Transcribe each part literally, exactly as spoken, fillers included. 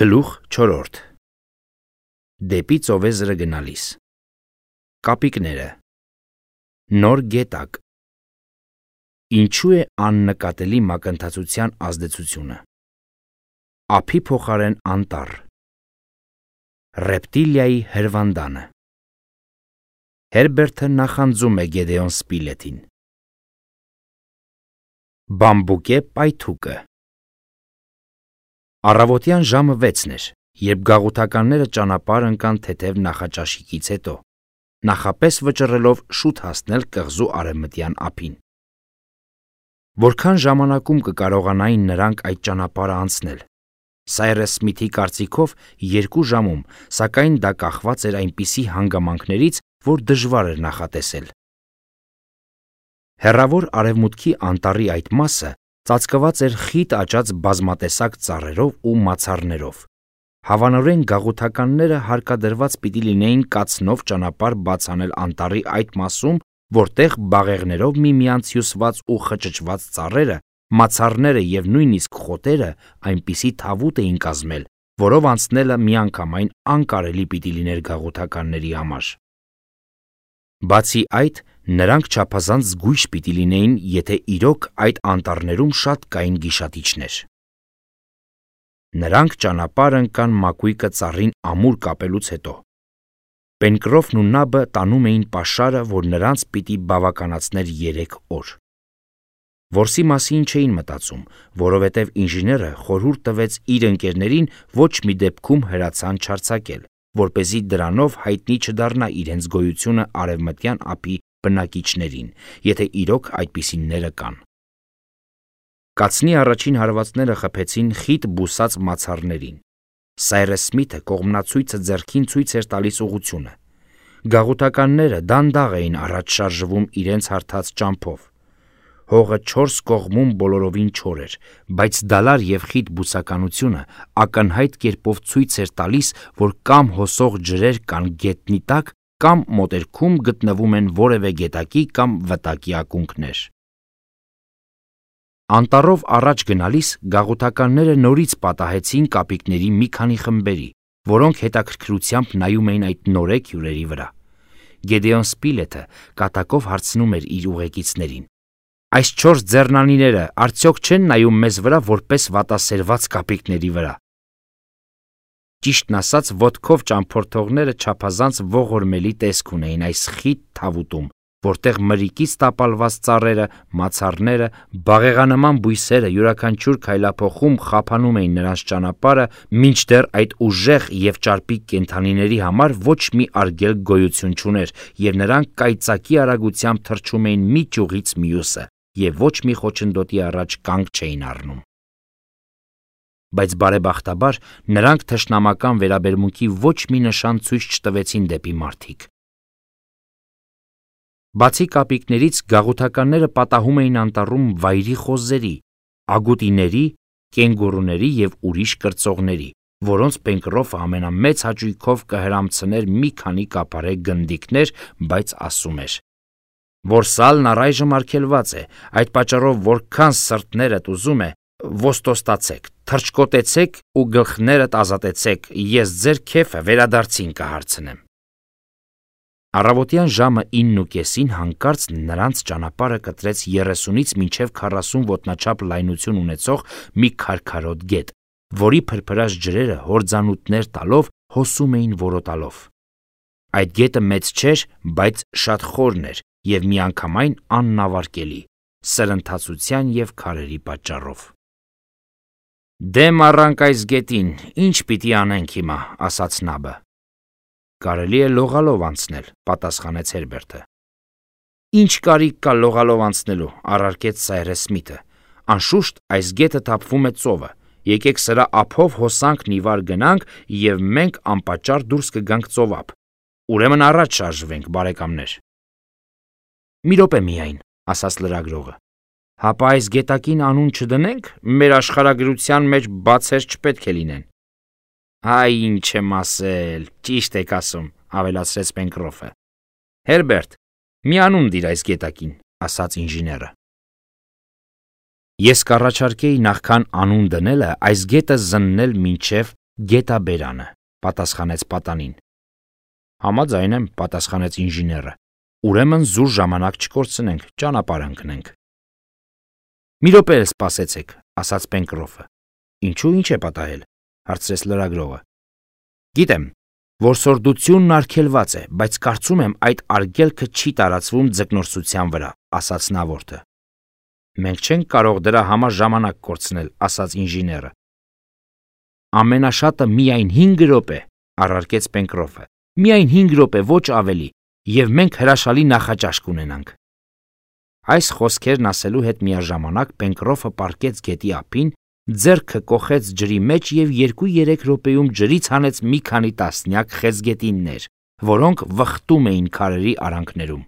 Գլուխ չորրորդ Դեպի ծովեզրը գնալիս Կապիկները Նոր գետակ Ինչու է աննկատելի մակընթացության ազդեցությունը Ափի փոխարեն անտառ Ռեպտիլիայի հրվանդանը Հերբերտը նախանձում է Գեդեոն Սպիլետին Բամբուկե պայթուկը Առավոտյան ժամը վեցն էր, երբ գաղութականները ճանապարհ ընկան թեթև նախաճաշիկից հետո, նախապես վճռելով շուտ հասնել կղզու արևմտյան ափին։ Որքան ժամանակում կկարողանային նրանք այդ ճանապարհը անցնել։ Սայրես Սմիթի կարծիքով երկու ժամում, սակայն դա կախված էր այնպիսի հանգամանքներից, որ դժվար էր նախատեսել։ Հեռավոր արևմուտքի անտառի այդ մասը ծածկված էր խիտ աճած բազմատեսակ ծառերով ու մացառներով։ Հավանորեն գաղութականները հարկադրված պիտի լինեին կացնով ճանապարհ բաց անել անտառի այդ մասում, որտեղ բաղեղներով միմյանց հյուսված ու խճճված ծառերը, մացառները եւ նույնիսկ խոտերը այնպիսի թավուտ էին կազմել, որով անցնելը միանգամայն անկարելի պիտի լիներ գաղութականների համար։ Բացի այդ, նրանք չափազանց զգույշ պիտի լինեին, եթե իրոք այդ անտառներում շատ կային գիշատիչներ։ Նրանք ճանապարհ ընկան մակույկը ծառին ամուր կապելուց հետո։ Պենկրոֆն ու Նաբը տանում էին պաշարը, որ նրանց պիտի բավականացներ երեք օր։ Որսի մասին չէին մտածում, որովհետև ինժեները խորհուրդ տվեց իր ընկերներին ոչ մի դեպքում հրացան չարձակել, որպեսզի դրանով հայտնի չդառնա իրենց գոյությունը արևմտյան ափի բնակիչներին, եթե իրոք այդպիսինները կան։ Կացնի առաջին հարվածները խփեցին խիտ բուսած մացառներին։ Սայրես Սմիթը կողմնացույցը ձեռքին ցույց էր տալիս ուղղությունը։ Գաղութականները դանդաղ էին առաջ շարժվում իրենց հարթած ճամփով։ Հողը չորս կողմում բոլորովին չոր էր, բայց դալար եւ խիտ բուսականությունը ակնհայտ կերպով ցույց էր տալիս, որ կամ հոսող ջրեր կան գետնի տակ, կամ մոտերքում գտնվում են որևէ գետակի կամ վտակի ակունքներ։ Անտառով առաջ գնալիս գաղութականները նորից պատահեցին կապիկների մի քանի խմբերի, որոնք հետաքրքրությամբ նայում էին այդ նորեկ հյուրերի վրա։ Գեդեոն Սպիլետը կատակով հարցնում էր իր ուղեկիցներին. Այս չորս ձեռնանիները արդյոք չեն նայում մեզ վրա որպես վատասերված կապիկների վրա։ Ճիշտն ասած, ոտքով ճամփորդողները չափազանց ողորմելի տեսք ունեին այս խիտ թավուտում, որտեղ մրրիկից տապալված ծառերը, մացառները, բաղեղանման բույսերը յուրաքանչյուր քայլափոխում խափանում էին նրանց ճանապարհը, մինչդեռ այդ ուժեղ եւ ճարպիկ կենդանիների համար ոչ մի արգելք գոյություն չուներ, եւ նրանք կայծակի արագությամբ թռչում էին մի ճյուղից մյուսը, եւ ոչ մի խոչընդոտի առաջ կանգ չէին առնում։ Բայց բարեբախտաբար նրանք թշնամական վերաբերմունքի ոչ մի նշան ցույց չտվեցին դեպի մարդիկ։ Բացի կապիկներից գաղութականները պատահում էին անտառում վայրի խոզերի, ագուտիների, կենգուրուների եւ ուրիշ կրծողների, որոնց Պենկրոֆը ամենամեծ հաճույքով կհրամցներ մի քանի կապարե գնդիկներ, բայց ասում էր. որ սալն առայժմ արգելված է, այդ պատճառով որքան սրտներդ ուզում է, ոստոստացեք, թռչկոտեցեք ու գլխներդ ազատեցեք, ես ձեր քեֆը վերադարձին կհարցնեմ։ Առավոտյան ժամը իննուկեսին հանկարծ նրանց ճանապարհը կտրեց երեսունից մինչև քառասուն ոտնաչափ լայնություն ունեցող մի քարքարոտ գետ, որի փրփրած ջրերը հորձանուտներ տալով հոսում էին որոտալով։ Այդ գետը մեծ չէր, բայց շատ խորն էր եւ միանգամայն աննավարկելի, սրընթացության եւ քարերի պատճառով։ Դեմ առանք այս գետին, ինչ պիտի անենք հիմա, ասաց Նաբը։ Կարելի է լողալով անցնել, պատասխանեց Հերբերտը։ Ինչ կարիք կա լողալով անցնելու, առարկեց Սայրես Սմիթը։ Անշուշտ այս գետը թափվում է ծովը։ Եկեք սրա ափով հոսանքն ի վար գնանք եւ մենք անպատճառ դուրս կգանք ծովափ։ Ուրեմն առաջ շարժվենք, բարեկամներ։ Մի րոպե միայն, ասաց լրագրողը։ Հապա այս գետակին անուն չդնենք, մեր աշխարհագրության մեջ բացեր չպետք է լինեն։ Այ ինչ եմ ասել, ճիշտ եք ասում, ավելացրեց Պենկրոֆը։ Հերբերտ, մի անուն դիր այս գետակին, ասաց ինժեները։ Ես կառաջարկեի նախքան անուն դնելը այս գետը զննել մինչև Գետաբերանը, պատասխանեց պատանին։ Համաձայն եմ, պատասխանեց ինժեները։ Ուրեմն զուր ժամանակ չկորցնենք, ճանապարհ ընկնենք։ Մի րոպե էլ սպասեցեք, ասաց Պենկրոֆը։ Ինչու ինչ է պատահել, հարցրեց լրագրողը։ Գիտեմ, որ սորդությունն արգելված է, բայց կարծում եմ այդ արգելքը չի տարածվում ձկնորսության վրա, ասաց նավորդը։ Մենք չենք կարող դրա համար ժամանակ կորցնել, ասաց ինժեները։ Ամենաշատը միայն հինգ րոպե, առարկեց Պենկրոֆը։ Միայն հինգ րոպե, ոչ ավելի, եւ մենք հրաշալի նախաճաշ կունենանք։ Այս խոսքերն ասելու հետ միաժամանակ Պենկրոֆը պառկեց գետի ափին, ձեռքը կոխեց ջրի մեջ եւ երկու-երեք րոպեում ջրից հանեց մի քանի տասնյակ խեցգետիններ, որոնք վխտում էին քարերի արանքներում։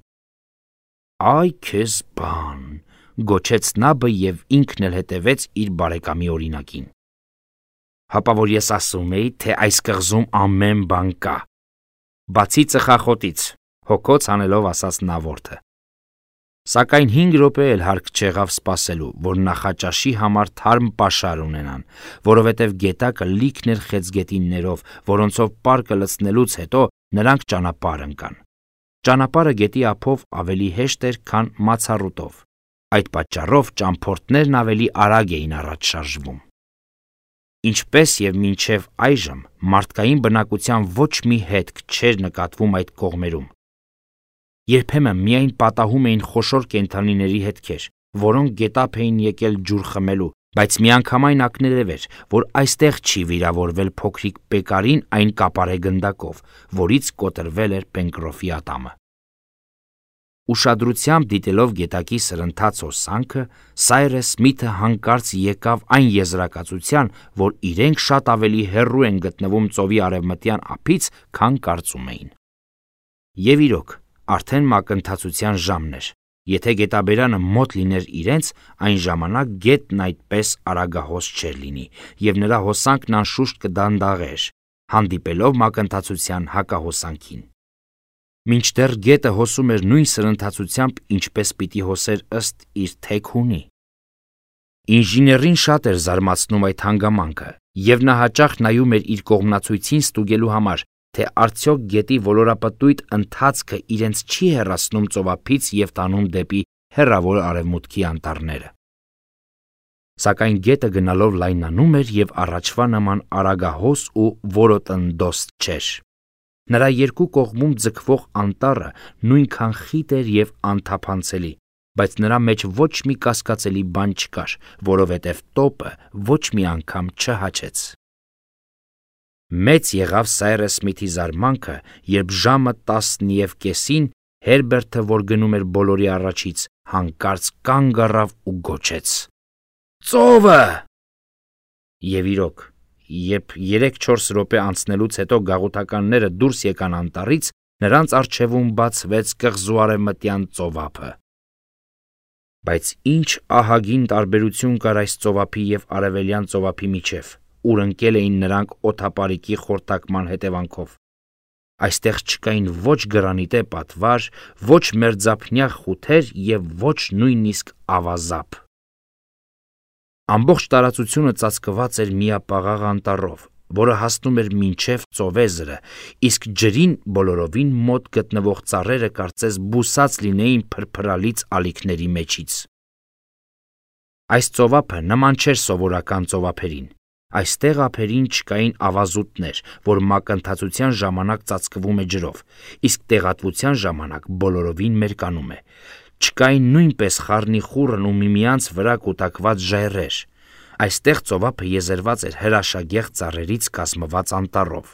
Այ քեզ բան, գոչեց նաբը եւ ինքն էլ հետևեց իր բարեկամի օրինակին։ Հապա որ ես ասում էի, թե այս կղզում ամեն բան կա։ Բացի ծխախոտից, հոգոց անելով ասաց նավորդը։ Սակայն հինգ րոպե էլ հարկ չեղավ սպասելու, որ նախաճաշի համար թարմ պաշար ունենան, որովհետև գետակը լիքն էր խեցգետիններով, որոնցով պարկը լցնելուց հետո նրանք ճանապարհ ընկան։ Ճանապարհը գետի ափով ավելի հեշտ էր, քան մացառուտով։ Այդ պատճառով ճամփորդներն ավելի արագ էին առաջ շարժվում։ Ինչպես եւ մինչև այժմ մարդկային բնակության ոչ մի հետք չէր նկատվում այդ կողմերում։ Երբեմն միայն պատահում էին խոշոր կենդանիների հետքեր, որոնք գետափ էին եկել ջուր խմելու, բայց միանգամայն ակներև էր, որ այստեղ չի վիրավորվել փոքրիկ Պեկարին այն կապարե գնդակով, որից կոտրվել էր Պենկրոֆի ատամը։ Ուշադրությամբ դիտելով գետակի սրընթաց հոսանքը, Սայրես Սմիթը հանկարծ եկավ այն եզրակացության, որ իրենք շատ ավելի հեռու են գտնվում ծովի արևմտյան ափից, քան կարծում էին։ Եվ իրոք, արդեն մակընթացության ժամն էր։ Եթե գետաբերանը մոտ լիներ իրենց, այն ժամանակ գետն այդպես արագահոս չէր լինի, եւ նրա հոսանքն անշուշտ կդանդաղեր, հանդիպելով մակընթացության հակահոսանքին։ Մինչդեռ գետը հոսում էր նույն սրընթացությամբ, ինչպես պիտի հոսեր ըստ իր թեքունի։ Ինժեներին շատ էր զարմացնում այդ հանգամանքը, եւ նա հաճախ նայում էր իր կողմնացույցին ստուգելու համար, թե արդյոք գետի ոլորապտույտ ընթացքը իրենց չի հեռացնում ծովափից եւ տանում դեպի հեռավոր արևմուտքի անտառները։ Սակայն գետը գնալով լայնանում էր եւ առաջվա նման արագահոս ու որոտնդոստ չէր։ Նրա երկու կողմում ձգվող անտառը նույնքան խիտ էր եւ անթափանցելի, բայց նրա մեջ ոչ մի կասկածելի բան չկար, որովհետեւ տոպը ոչ մի անգամ չհաչեց։ Մեծ եղավ Սայրես Սմիթի զարմանքը, երբ ժամը տասն եւ կեսին Հերբերտը, որ գնում էր բոլորի առաջից, հանկարծ կանգ առավ ու գոչեց. «Ծովը!» Եվ իրոք, երբ երեք-չորս րոպե անցնելուց հետո գաղութականները դուրս եկան անտառից, նրանց առջևում բացվեց կղզու արևմտյան ծովափը։ Բայց ինչ ահագին տարբերություն կար այս ծովափի եւ արևելյան ծովափի միջև, ուր ընկել էին նրանք օդապարիկի խորտակման հետևանքով։ Այստեղ չկային ոչ գրանիտե պատվար, ոչ մերձափնյա խութեր եւ ոչ նույնիսկ ավազապ։ Ամբողջ տարածությունը ծածկված էր միապաղաղ անտառով, որը հասնում էր մինչև ծովեզրը, իսկ ջրին բոլորովին մոտ գտնվող ծառերը կարծես բուսած լինեին փրփրալից ալիքների մեջից։ Այս ծովափը նման չէր սովորական ծովափերին։ Այստեղ ափերին չկային ավազուտներ, որ մակընթացության ժամանակ ծածկվում է ջրով, իսկ տեղատվության ժամանակ բոլորովին մերկանում է։ Չկային նույնպես խառնիխուռն ու միմյանց վրա կուտակված ժայռեր։ Այստեղ ծովափը եզերված էր հրաշագեղ ծառերից կազմված անտառով։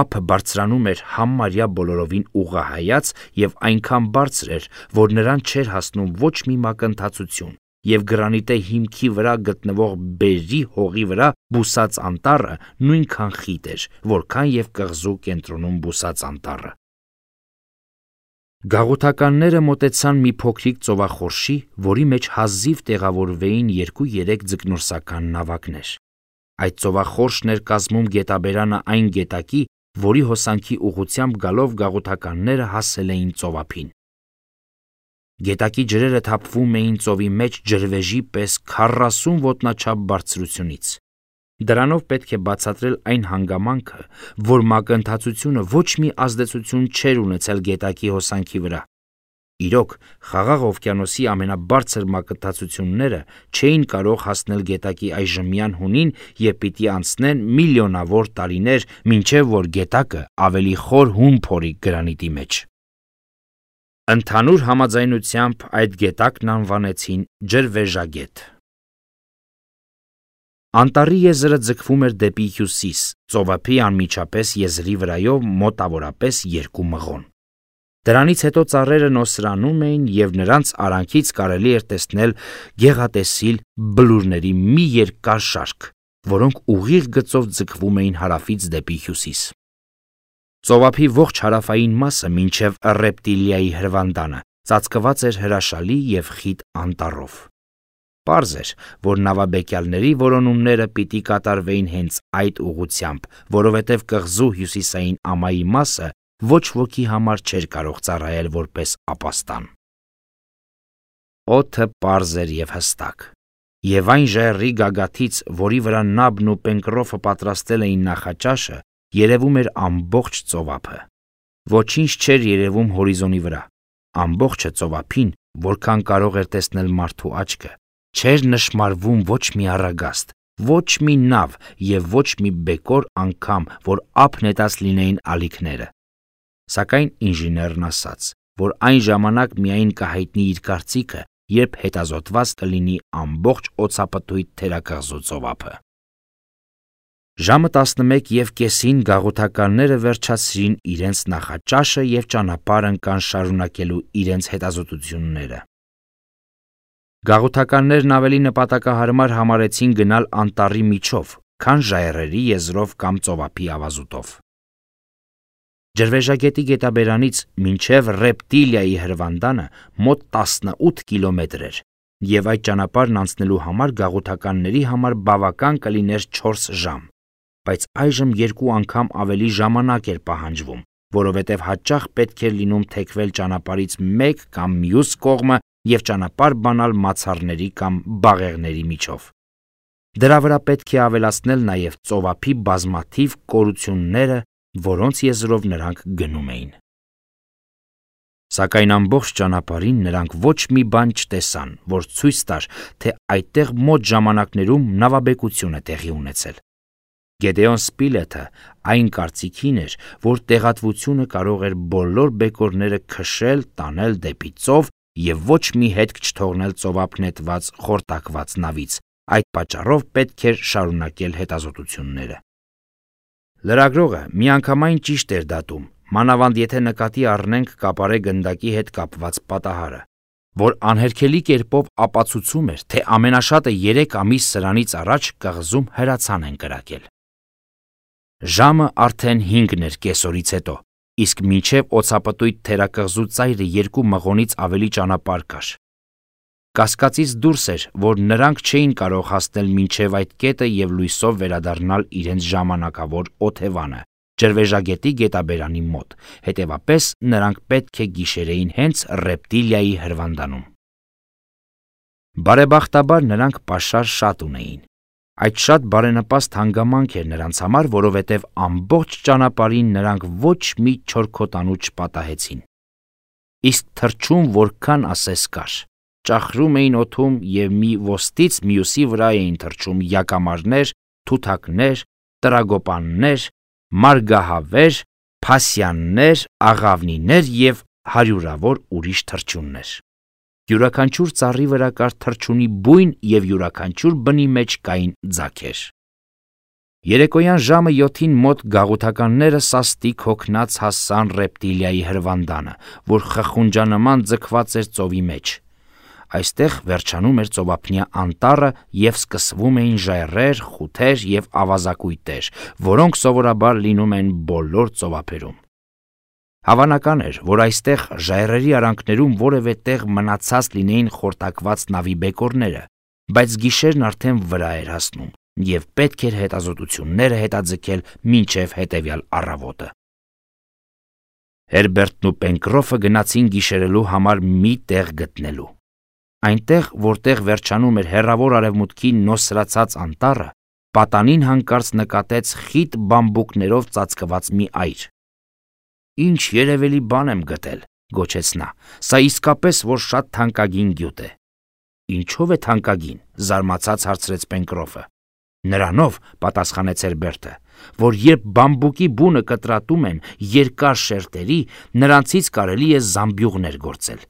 Ափը բարձրանում էր համարյա բոլորովին ուղղահայաց եւ այնքան բարձր էր, որ նրան չէր հասնում ոչ մի մակընթացություն, եւ գրանիտե հիմքի վրա գտնվող բերրի հողի վրա բուսած անտառը նույնքան խիտ էր, որքան եւ կղզու կենտրոնում բուսած անտառը։ Գաղութականները մոտեցան մի փոքրիկ ծովախորշի, որի մեջ հազիվ տեղավորվեին երկու-երեք ձկնորսական նավակներ։ Այդ ծովախորշն էր կազմում գետաբերանը այն գետակի, որի հոսանքի ուղղությամբ գալով գաղութականները հասել էին ծովափին։ Գետակի ջրերը թափվում էին ծովի մեջ ջրվեժի պես քառասուն ոտնաչափ բարձրությունից։ Դրանով պետք է բացատրել այն հանգամանքը, որ մակընթացությունը ոչ մի ազդեցություն չէր ունեցել գետակի հոսանքի վրա։ Իրոք, Խաղաղ օվկիանոսի ամենաբարձր մակընթացությունները չէին կարող հասնել գետակի այժմյան հունին և պիտի անցնեն միլիոնավոր տարիներ, մինչև որ գետակը ավելի խոր հուն փորի գրանիտի մեջ։ Ընդհանուր համաձայնությամբ այդ գետակն անվանեցին Ջրվեժագետ։ Անտառի եզրը ձգվում էր դեպի հյուսիս, ծովափի անմիջապես եզրի վրայով մոտավորապես երկու մղոն։ Դրանից հետո ծառերը նոսրանում էին և նրանց արանքից կարելի էր տեսնել գեղատեսիլ բլուրների մի երկար շարք, որոնք ուղիղ գծով ձգվում էին հարավից դեպի հյուսիս։ Ծովափի ողջ հարավային մասը մինչև Ռեպտիլիայի հրվանդանը ծածկված էր հրաշալի և խիտ անտառով։ Պարզ էր, որ նավաբեկյալների որոնումները պիտի կատարվեին հենց այդ ուղղությամբ, որովհետև կղզու հյուսիսային ամայի մասը ոչ ոքի համար չէր կարող ծառայել որպես ապաստան։ Օդը պարզ էր և հստակ, և այն ժայռի գագաթից, որի վրա Նաբն ու Պենկրոֆը պատրաստել էին նախաճաշը, երևում էր ամբողջ ծովափը։ Ոչինչ չէր երևում հորիզոնի վրա։ Ամբողջը ծովափին, որքան կարող էր տեսնել մարդու աչքը, չէր նշմարվում ոչ մի առագաստ, ոչ մի նավ և ոչ մի բեկոր անգամ, որ ափ նետած լինեին ալիքները։ Սակայն ինժեներն ասաց, որ այն ժամանակ միայն կհայտնի իր կարծիքը, երբ հետազոտված կլինի ամբողջ օձապտույտ թերակղզու ծովափը։ Ժամը տասնմեկ և կեսին գաղութականները վերջացրին իրենց նախաճաշը և ճանապարհ ընկան շարունակելու իրենց հետազոտությունները։ Գաղութականներն ավելի նպատակահարմար համարեցին գնալ անտառի միջով, քան ժայռերի եզրով կամ ծովափի ավազուտով։ Ջրվեժագետի գետաբերանից մինչև Ռեպտիլիայի հրվանդանը մոտ տասնութ կիլոմետր էր, և այդ ճանապարհն անցնելու համար գաղութականների համար բավական կլիներ չորս ժամ, բայց այժմ երկու անգամ ավելի ժամանակ էր պահանջվում, որովհետև հաճախ պետք էր լինում թեքվել ճանապարհից մեկ կամ մյուս կողմը և ճանապարհ բանալ մացառների կամ բաղեղների միջով։ Դրա վրա պետք է ավելացնել նաև ծովափի բազմաթիվ կորությունները, որոնց եզրով նրանք գնում էին։ Սակայն ամբողջ ճանապարհին նրանք ոչ մի բան չտեսան, որ ցույց տար, թե այդտեղ մոտ ժամանակներում նավաբեկություն է տեղի ունեցել։ Գեդեոն Սպիլեթը այն կարծիքին էր, որ տեղատվությունը կարող էր բոլոր բեկորները քշել, տանել դեպի ծով և ոչ մի հետք չթողնել ծովափ նետված խորտակված նավից, այդ պատճառով պետք էր շարունակել հետազոտությունները։ Լրագրողը միանգամայն ճիշտ էր դատում, մանավանդ եթե նկատի առնենք կապարե գնդակի հետ կապված պատահարը, որ անհերքելի կերպով ապացուցում էր, թե ամենաշատը երեք ամիս սրանից առաջ կղզում հրացան են կրակել։ Ժամը արդեն հինգն էր կեսօրից հետո, իսկ մինչև օձապտույտ թերակղզու ծայրը երկու մղոնից ավելի ճանապարհ կար։ Կասկածից դուրս էր, որ նրանք չէին կարող հասնել մինչև այդ կետը և լույսով վերադառնալ իրենց ժամանակավոր օթևանը, Ջրվեժագետի գետաբերանի մոտ, հետևապես նրանք պետք է գիշերեին հենց Ռեպտիլիայի հրվանդանում։ Բարեբախտաբար նրանք պաշար շատ ունեին։ Այդ շատ բարենպաստ հանգամանք էր նրանց համար, որովհետև ամբողջ ճանապարհին նրանք ոչ մի չորքոտանու չպատահեցին։ Իսկ թռչուն որքան ասես կար։ Ճախրում էին օդում և մի ոստից մյուսի վրա էին թռչում յակամարներ, թութակներ, տրագոպաններ, մարգահավեր, փասյաններ, աղավնիներ և հարյուրավոր ուրիշ թռչուններ։ Յուրաքանչյուր ծառի վրա կար թռչունի բույն և յուրաքանչյուր բնի մեջ կային ձագեր։ Երեկոյան ժամը յոթին մոտ գաղութականները սաստիկ հոգնած հասան Ռեպտիլիայի հրվանդանը, որ խխունջանման ձգված էր ծովի մեջ։ Այստեղ վերջանում էր ծովափնյա անտառը և սկսվում էին ժայռեր, խութեր և ավազակույտեր, որոնք սովորաբար լինում են բոլոր ծովափերում։ Հավանական էր, որ այստեղ ժայռերի արանքներում որևէ տեղ մնացած լինեին խորտակված նավի բեկորները, բայց գիշերն արդեն վրա էր հասնում, և պետք էր հետազոտությունները հետաձգել մինչև հետևյալ առավոտը։ Հերբերտն ու Պենկրոֆը գնացին գիշերելու համար մի տեղ գտնելու։ Այնտեղ, որտեղ վերջանում էր հեռավոր արևմուտքի նոսրացած անտառը, պատանին հանկարծ նկատեց խիտ բամբուկներով ծածկված մի այր։ «Ինչ երևելի բան եմ գտել», գոչեց նա, «սա իսկապես որ շատ թանկագին գյուտ է»։ «Ինչով է թանկագին», զարմացած հարցրեց Պենկրոֆը։ «Նրանով», պատասխանեց Հերբերտը, «որ երբ բամբուկի բունը կտրատում եմ երկար շերտերի, նրանցից կարելի է զամբյուղներ գործել։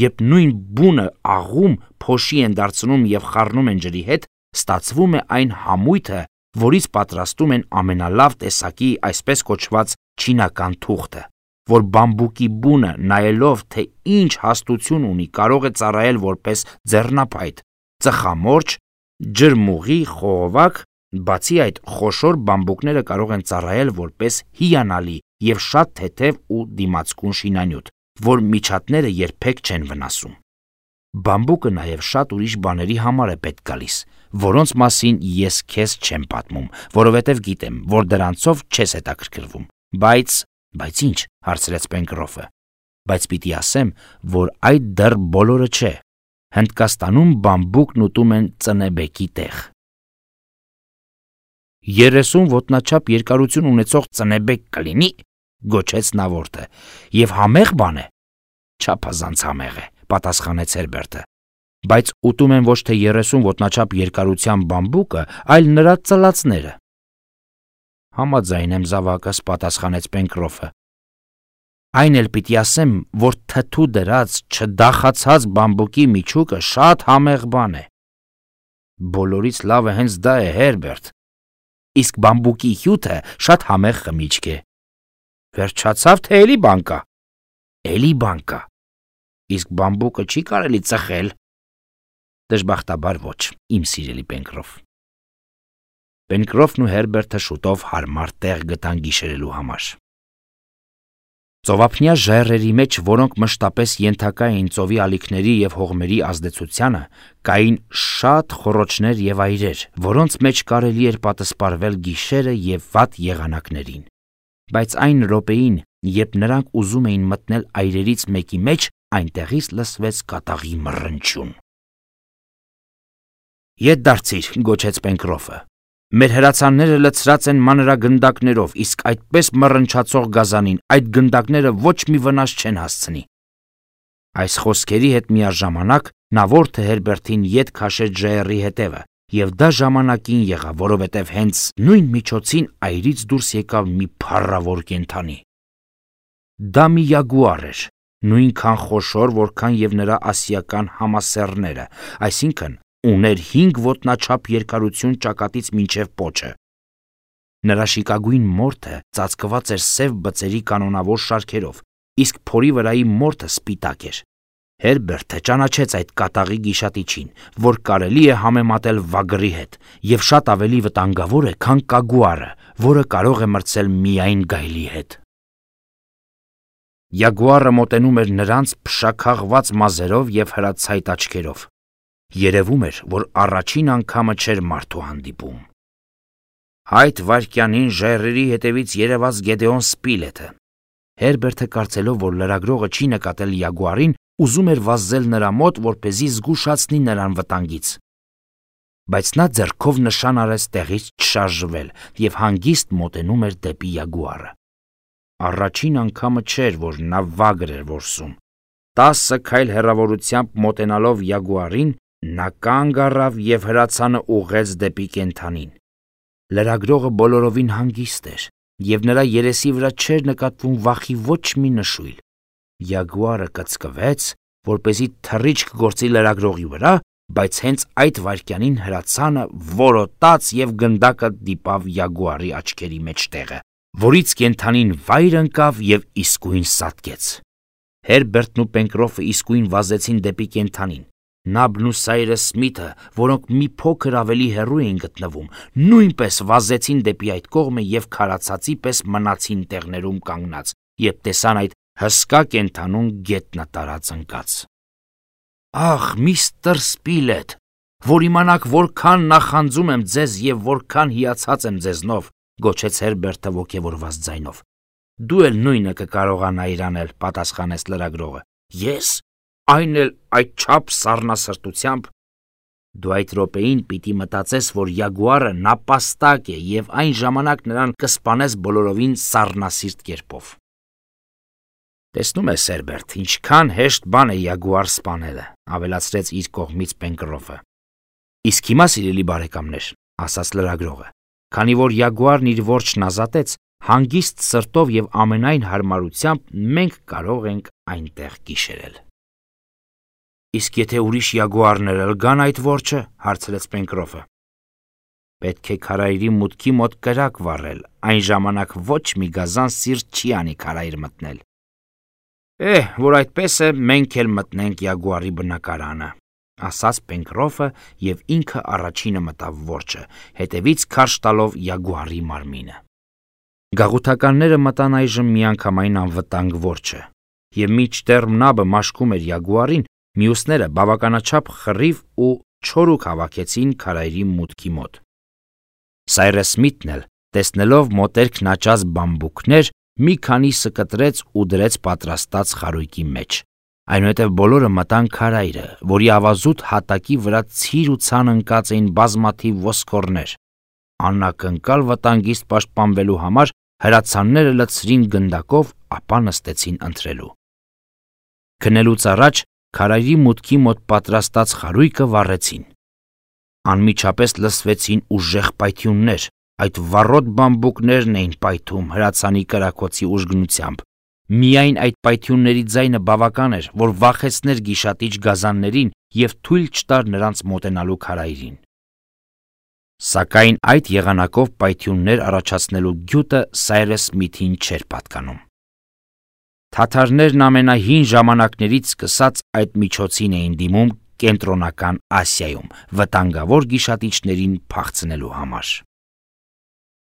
Երբ նույն բունը աղում, փոշի են դարձնում եւ խառնում են ջրի հետ, ստացվում է այն համույթը, որից պատրաստում են ամենալավ տեսակի այսպես կոչված չինական թուղթը, որ բամբուկի բունը նայելով, թե ինչ հաստություն ունի, կարող է ծառայել որպես ձեռնափայտ, ծխամորճ, ջրմուղի, խողովակ, բացի այդ խոշոր բամբուկները կարող են ծառայել որպես հիանալի եւ շատ թեթև ու դիմացկուն շինանյութ, որ միջատները երբեք չեն վնասում։ Բամբուկը նաև շատ ուրիշ բաների համար է պետք գալիս, որոնց մասին ես քեզ չեմ պատմում, որովհետև գիտեմ, որ դրանցով չես հետաքրքրվում։ Բայց, բայց ինչ, հարցրեց Պենկրոֆը։ Բայց պիտի ասեմ, որ այդ դեռ բոլորը չէ։ Հնդկաստանում բամբուկն ուտում են ծնեբեկի տեղ։ Երեսուն ոտնաչափ երկարություն ունեցող ծնեբեք կլինի, գոչեց նավորդը, եւ համեղ բան է։ Չափազանց համեղ է, պատասխանեց Հերբերտը, բայց ուտում են ոչ թե երեսուն ոտնաչափ երկարության բամբուկը, այլ նրա ծլածները։ Համաձայն եմ զավակս, պատասխանեց Պենկրոֆը։ Այն էլ պիտի ասեմ, որ թթու դրած չդախացած բամբուկի միջուկը շատ համեղ բան է։ Բոլորից լավը հենց դա է, Հերբերտ։ Իսկ բամբուկի հյութը շատ համեղ խմիչք է։ Վերջացավ, թե էլի բան կա։ Էլի բան կա։ Իսկ բամբուկը չի կարելի ծխել։ Դժբախտաբար ոչ, իմ սիրելի Պենկրոֆ։ Պենկրոֆն ու Հերբերտը շուտով հարմար տեղ գտան գիշերելու համար։ Ծովափնյա ժայռերի մեջ, որոնք մշտապես ենթակա էին ծովի ալիքների եւ հողմերի ազդեցությանը, կային շատ խոռոչներ եւ այրեր, որոնց մեջ կարելի էր պատսպարվել գիշերը եւ վատ եղանակներին։ Բայց այն րոպեին, երբ նրանք ուզում էին մտնել այրերից մեկի մեջ, այնտեղից լսվեց կատաղի մռնչյուն։ Ետ դարձիր, գոչեց Պենկրոֆը։ Մեր հրացանները լցրած են մանրագնդակներով, իսկ այդպես մռնչացող գազանին այդ գնդակները ոչ մի վնաս չեն հասցնի։ Այս խոսքերի հետ միաժամանակ նավորդը Հերբերտին ետ քաշեց ժայռի հետևը, եւ դա ժամանակին եղավ, որովհետեւ հենց նույն միջոցին այրից դուրս եկավ մի փառավոր կենդանի։ Դա մի յագուար էր, նույնքան խոշոր, որքան եւ նրա ասիական համասեռները, այսինքն ուներ հինգ ոտնաչափ երկարություն ճակատից մինչև պոչը։ Նրա շիկագույն մորթը ծածկված էր սև բծերի կանոնավոր շարքերով, իսկ փորի վրայի մորթը սպիտակ էր։ Հերբերտը ճանաչեց այդ կատաղի գիշատիչին, որ կարելի է համեմատել վագրի հետ, եւ շատ ավելի վտանգավոր է, քան կագուարը, որը կարող է մրցել միայն գայլի հետ։ Յագուարը մոտենում էր նրանց փշաքաղված մազերով եւ հրացայտ աչքերով։ Երևում էր, որ առաջին անգամը չէր մարդու հանդիպում։ Այդ վայրկյանին ժայռերի հետևից երևաց Գեդեոն Սպիլեթը։ Հերբերտը կարծելով, որ լրագրողը չի նկատել յագուարին, ուզում էր վազել նրա մոտ, որպեսզի զգուշացնի նրան վտանգից։ Բայց նա ձեռքով նշան արեց տեղից չշարժվել եւ հանգիստ մոտենում էր դեպի յագուարը։ Առաջին անգամը չէր, որ նա վագր էր որսում։ Տասը քայլ հեռավորությամբ մոտենալով յագուարին, նա կանգ առավ եւ հրացանը ուղղեց դեպի կենդանին։ Լրագրողը բոլորովին հանգիստ էր, եւ նրա երեսի վրա չէր նկատվում վախի ոչ մի նշույլ։ Յագուարը կծկվեց, որպեսզի թռիչք գործի լրագրողի վրա, բայց հենց այդ վայրկյանին հրացանը որոտաց եւ գնդակը դիպավ յագուարի աչքերի մեջտեղը, որից կենդանին վայր ընկավ եւ իսկույն սատկեց։ Հերբերտն ու Պենկրոֆը իսկույն վազեցին դեպի կենդանին։ Նաբն ու Սայրը Սմիթը, որոնք մի փոքր ավելի հեռու էին գտնվում, նույնպես վազեցին դեպի այդ կողմը եւ քարացածի պես մնացին տեղներում կանգնած, երբ տեսան այդ հսկա կենդանուն գետնը տարած ընկած։ Ախ, միստր Սպիլեթ, որ իմանաք որքան նախանձում եմ ձեզ եւ որքան հիացած եմ ձեզնով, գոչեց Հերբերտը ոգևորված ձայնով։ Դու էլ նույնը կկարողանայիր անել, պատասխանեց լրագրողը։ Ես, այն էլ այդ չափ սառնասրտությամբ։ Դու այդ րոպեին պիտի մտածես, որ յագուարը նապաստակ է եւ այն ժամանակ նրան կսպանես բոլորովին սառնասիրտ կերպով։ Տեսնում ես, Հերբերտ, ինչքան հեշտ բան է յագուար սպանելը, ավելացրեց իր կողմից Պենկրոֆը։ Իսկ հիմա, սիրելի բարեկամներ, ասաց լրագրողը, քանի որ յագուարն իր որջն ազատեց, հանգիստ սրտով եւ ամենայն հարմարությամբ մենք կարող ենք այնտեղ գիշերել։ Իսկ եթե ուրիշ յագուարներ էլ գան այդ որջը, հարցրեց Պենկրոֆը։ Պետք է քարայրի մուտքի մոտ կրակ վառել, այն ժամանակ ոչ մի գազան սիրտ չի անի քարայր մտնել։ Էհ, որ այդպես է, մենք էլ մտնենք յագուարի բնակարանը, ասաց Պենկրոֆը եւ ինքը առաջինը մտավ որջը, հետևից քարշ տալով յագուարի մարմինը։ Գաղութականները մտան այժմ միանգամայն անվտանգ որջը, եւ մինչդեռ նաբը մաշկում էր յագուարին, մյուսները բավականաչափ խռիվ ու չորուք հավաքեցին քարայրի մուտքի մոտ։ Սայրես Սմիթն էլ, տեսնելով մոտերքն աճած բամբուկներ, մի քանիսը կտրեց ու դրեց պատրաստած խարույկի մեջ։ Այնուհետև բոլորը մտան քարայրը, որի ավազուտ հատակի վրա ցիր ու ցան ընկած էին բազմաթիվ ոսկորներ։ Անակնկալ վտանգից պաշտպանվելու համար հրացանները լցրին գնդակով, ապա նստեցին ընթրելու։ Քնելուց առաջ քարայրի մուտքի մոտ պատրաստած խարույկը վառեցին։ Անմիջապես լսվեցին ուժեղ պայթյուններ, այդ վառոտ բամբուկներն էին պայթում հրացանի կրակոցի ուժգնությամբ։ Միայն այդ պայթյունների ձայնը բավական էր, որ վախեցներ գիշատիչ գազաններին եւ թույլ չտար նրանց մոտենալու քարայրին։ Սակայն այդ եղանակով պայթյուններ առաջացնելու գյուտը Սայրես Սմիթին չէր պատկանում։ Թաթարներն ամենահին ժամանակներից սկսած այդ միջոցին էին դիմում Կենտրոնական Ասիայում վտանգավոր գիշատիչներին փախցնելու համար։